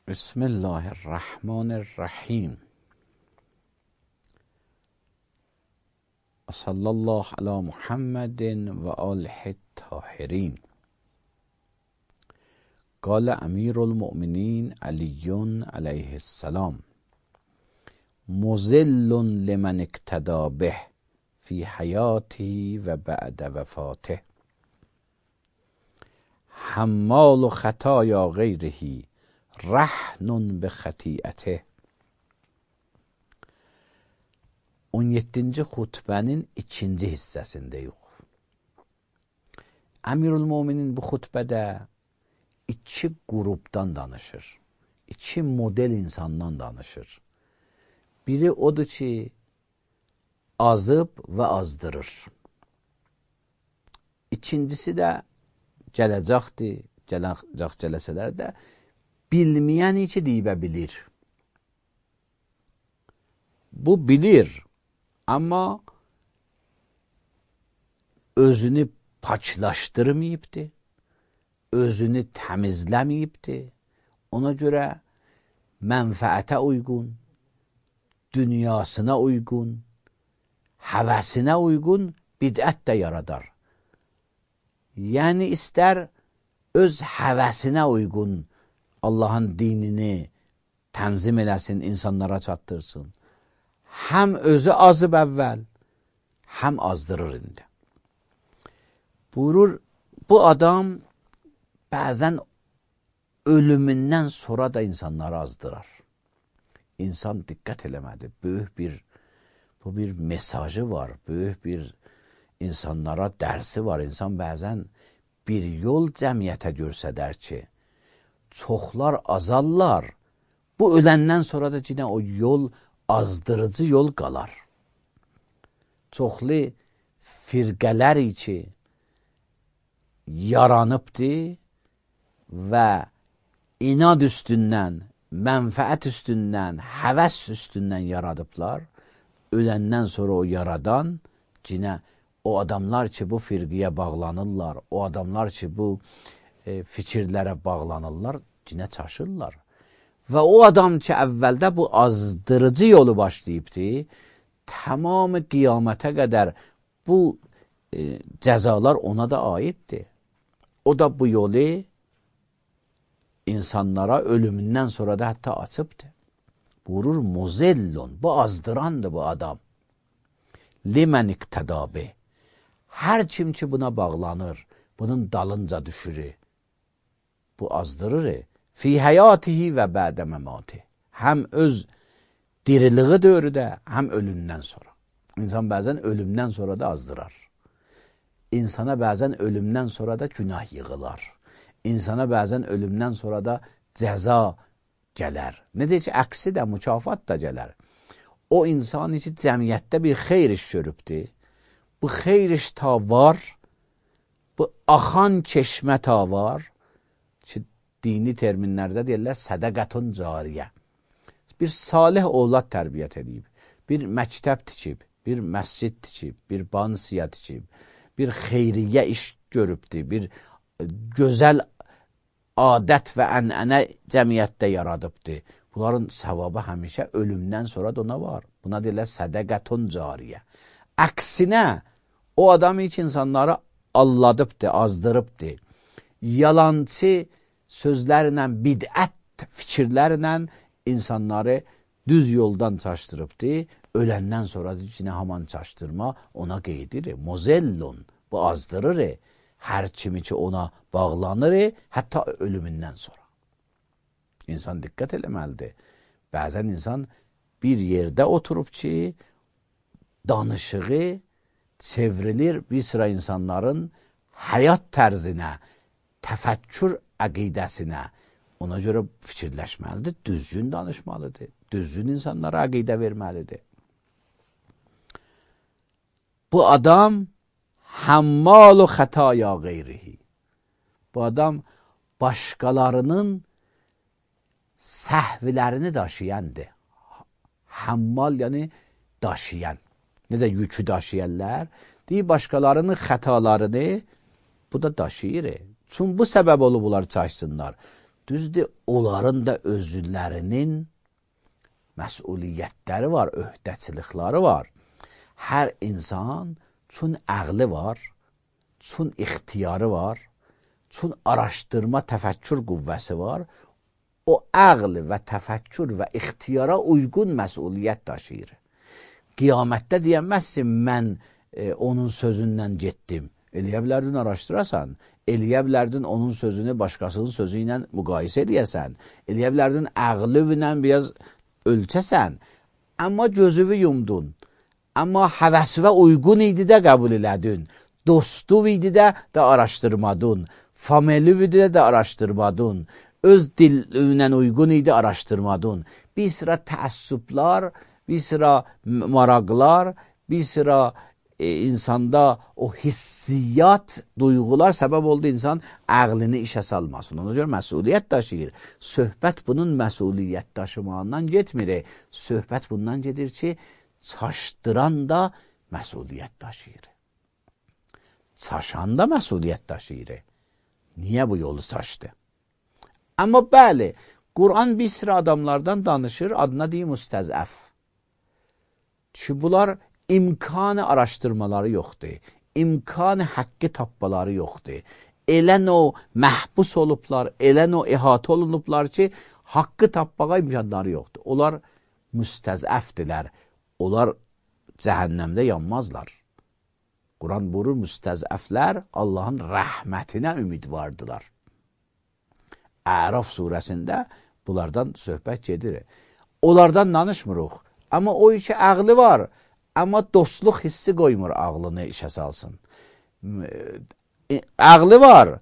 Bismillahirrahmanirrahim. Sallallahu ala Muhammedin ve alihi tahirin. قال امیر المؤمنین علی علیه السلام مذل لمن اقتدى به فی حیاته و بعد وفاته حمال خطایا غیره رهن به خطیئته. 17-ci xutbənin 2-ci hissəsindəyik. Əmirül-Möminin bu xutbədə iki qrupdan danışır. İki model insandan danışır. Biri odur ki, azıb və azdırır. İkincisi də gələcəkdir, gələcəklər də bilməyəni ki, deyibə bilir. Bu bilir, amma özünü paklaşdırmayıbdır, özünü təmizləməyibdir. Ona görə mənfəətə uyğun, dünyasına uyğun, həvəsinə uyğun bidət də yaradar. Yəni, istər öz həvəsinə uyğun Allahın dinini tənzim eləsin, insanlara çatdırsın. Həm özü azıb əvvəl, həm azdırır indi. Buyurur, bu adam bəzən ölümündən sonra da insanları azdırar. İnsan diqqət eləmədi. Bu bir mesajı var, böyük bir insanlara dərsi var. İnsan bəzən bir yol cəmiyyətə görsədər ki, çoxlar azarlar. Bu öləndən sonra da yine o yol azdırıcı yol qalar. Çoxlu firqələr ki yaranıbdır və inad üstündən, mənfəət üstündən, həvəs üstündən yaradıblar. Öləndən sonra o yaradan yine o adamlar ki bu firqiyə bağlanırlar, o adamlar ki bu fikirlərə bağlanırlar, yine çaşırlar. Və o adam ki əvvəldə bu azdırıcı yolu başlayıbdır, tamamı qiyamətə qədər bu cəzalar ona da aiddir. O da bu yolu insanlara ölümündən sonra da hətta açıbdır. Buyurur, muzellun, bu azdırandır bu adam. Limən iqtədabi. Hər kim ki buna bağlanır, bunun dalınca düşürür, bu azdırır. Fi həyatihi və bədə məmati. Həm öz diriliği dövrüdə, həm ölümdən sonra. İnsan bəzən ölümdən sonra da azdırar. İnsana bəzən ölümdən sonra da günah yığılar. İnsana bəzən ölümdən sonra da cəza gələr. Necə ki, əksi də, mükafat da gələr. O insan ki, cəmiyyətdə bir xeyr iş görübdür. Bu xeyr iş ta var, bu axan çeşmə ta var ki, dini terminlərdə deyirlər, sədəqətun cariyə. Bir salih ovlad tərbiyyət edib, bir məktəb tikib, bir məscid tikib, bir bansiya tikib, bir xeyriyyə iş görübdür, bir gözəl adət və ənənə cəmiyyətdə yaradıbdır. Bunların savabı həmişə ölümdən sonra da ona var. Buna deyirlər sədəqətun cariyə. Əksinə, o adam hiç insanları alladıbdır, azdırıbdır. Yalancı sözlərlə, bidət fikirlərlə insanları düz yoldan çaşdırıbdır. Öləndən sonra yine haman çaşdırma ona qeydirir. Mozellun, bu azdırır. Hər kimi ki ona bağlanır, hətta ölümündən sonra. İnsan diqqət eləməlidir. Bəzən insan bir yerdə oturub ki, danışığı çevrilir bir sıra insanların həyat tərzinə, təfəkkür əqidəsinə. Ona görə fikirləşməlidir, düzgün danışmalıdır, düzgün insanlara əqidə verməlidir. Bu adam hammalu xətaya qeyrihi. Bu adam başqalarının səhvlərini daşıyandır. Hammal yəni daşıyan. Necə yükü daşıyanlar, deyir başqalarının xətalarını bu da daşıyır. Çünki bu səbəb olub bunlar çaşsınlar. Düzdür, onların da özlərinin məsuliyyətləri var, öhdəçilikləri var. Hər insan çün əqli var, çün ixtiyarı var, çün araşdırma, təfəkkür qüvvəsi var. O əql və təfəkkür və ixtiyara uyğun məsuliyyət daşıyır. Qiyamətdə deyəməzsin, mən onun sözündən getdim. Eləyə bilərdin araşdırasan, eləyə bilərdin onun sözünü başqasının sözü ilə müqayisə edəsən, eləyə bilərdin əqlüvlə biraz ölçəsən, amma gözüvü yumdun, amma həvəsvə uyğun idi də qəbul elədin, dostu idi də araşdırmadın, familü idi də araşdırmadın, öz dilinə uyğun idi araşdırmadın. Bir sıra təəssüblər, bir sıra maraqlar, bir sıra insanda o hissiyat, duyğular səbəb oldu insan əqlini işə salmasın. Ona görə məsuliyyət daşıyır. Söhbət bunun məsuliyyət daşımağından getmir. Söhbət bundan gedir ki, çaşdıran da məsuliyyət daşıyır. Çaşan da məsuliyyət daşıyır. Niyə bu yolu çaşdı? Amma bəli, Quran bir sıra adamlardan danışır, adına deyim müstəzəf. Çünki bunlar imkanı araşdırmaları yoxdur. İmkanı haqqı tapmaları yoxdur. Elən o məhbus olublar, elən o ihatə olunublar ki, haqqı tapmağa imkanları yoxdur. Onlar müstəzəfdirlər. Onlar cəhənnəmdə yanmazlar. Quran buyurur, müstəzəflər Allahın rəhmətinə ümidvardılar. Əraf surəsində bunlardan söhbət gedir. Onlardan danışmırıq. Amma o iki əqli var. Amma dostluq hissi qoymur ağlını işə salsın. Əqli var.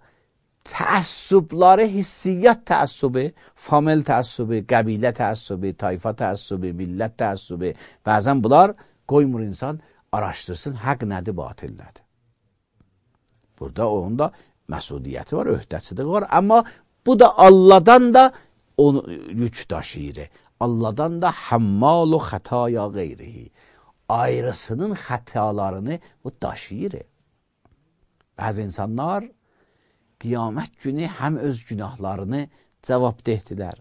Təəssübləri, hissiyyat təəssübü, famil təəssübü, qəbilə təəssübü, tayfa təəssübü, millət təəssübü. Bəzən bunlar qoymur insan araşdırsın, həq nədir, batil nədir. Burada onun da məsuliyyəti var, öhdəçiliyi var. Amma bu da Allah'dan da onu yük daşıyır. Allah'dan da hammalu xətaya qeyrihi. Ayrısının xətalarını bu daşıyır. Bəzi insanlar qiyamət günü həm öz günahlarını cavabdehdirlər,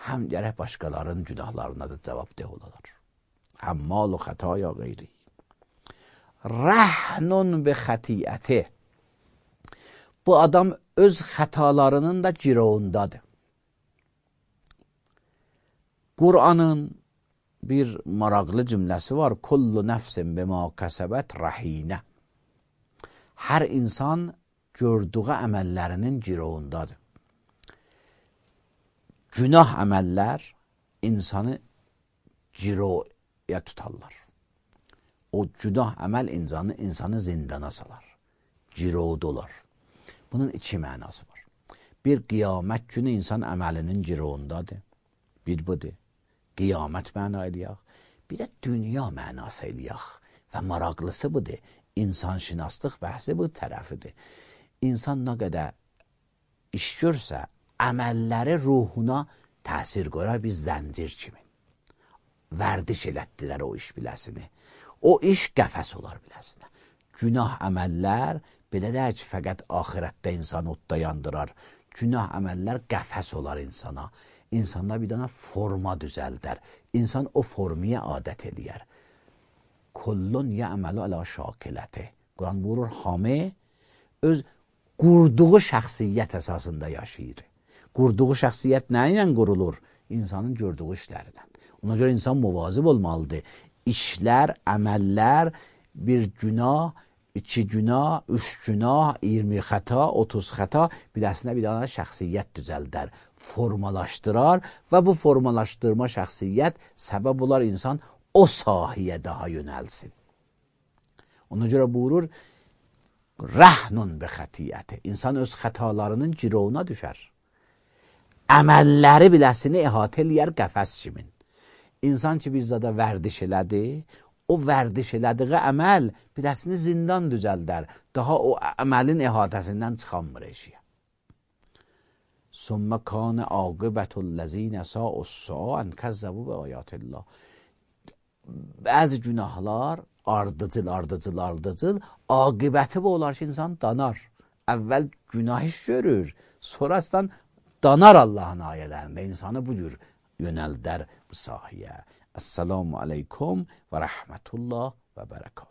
həm gərək başqalarının günahlarına da cavabdeh olarlar. Hammalu xətaya qeyrihi. Rəhnun bi xətiyyəti. Bu adam öz xətalarının da girovundadır. Qur'anın bir maraqlı cümləsi var. Kullu nəfsin bima kəsəbət rəhinə. Hər insan gördüğü əməllərinin girovundadır. Günah əməllər insanı giroya tutarlar. O günah əməl insanı zindana salar. Girovda olar. Bunun iki mənası var. Bir, qiyamət günü insan əməlinin girovundadır. Bir budur. Qiyamət məna eləyək. Bir də dünya mənası eləyək. Və maraqlısı budur. İnsan şinaslıq bəhsi bu tərəfidir. İnsan nə qədər iş görsə, əməlləri ruhuna təsir qoyar bir zəncir kimi. Vərdiş elətdirər o iş biləsini. O iş qəfəs olar biləsinə. Günah əməllər belə deyək ki, fəqət axirətdə insan odda yandırar. Günah əməllər qəfəs olar insana. İnsanda bir dana forma düzəldər. İnsan o formaya adət eləyər. Kullun yəməlu ələ şakiləti. Quran buyurur, hamı öz qurduğu şəxsiyyət əsasında yaşayır. Qurduğu şəxsiyyət nə ilə qurulur? İnsanın gördüğü işlərdən. Ona görə insan muvazib olmalıdır. İşlər, əməllər, bir günah, 2 günah, 3 günah, 20 xəta, 30 xəta biləsinə bir dana şəxsiyyət düzəldər, formalaşdırar və bu formalaşdırma şəxsiyyət səbəb olar insan o sahiyə daha yönəlsin. Ona görə buyurur, rəhnun bi xətiyyəti. İnsan öz xətalarının girovuna düşər. Əməlləri biləsini əhatə eləyər qəfəs kimin. İnsan ki, bir zada vərdiş elədi, o vərdiş elədiği əməl biləsini zindan düzəldər. Daha o əməlin əhatəsindən çıxanmır eşiyə. Sümmə kânə aqibətüllezîne sa'us-sa'an kəzzəbu bi ayatillah. Bəzi günahlar ardıcıl, aqibəti bu olar ki, insan danar. Əvvəl günah iş görür, sonrasından danar Allahın ayələrində, insanı bu cür yönəldər bu sahəyə. Əssalamu aleykum və rəhmətullah və bərəkatuhu.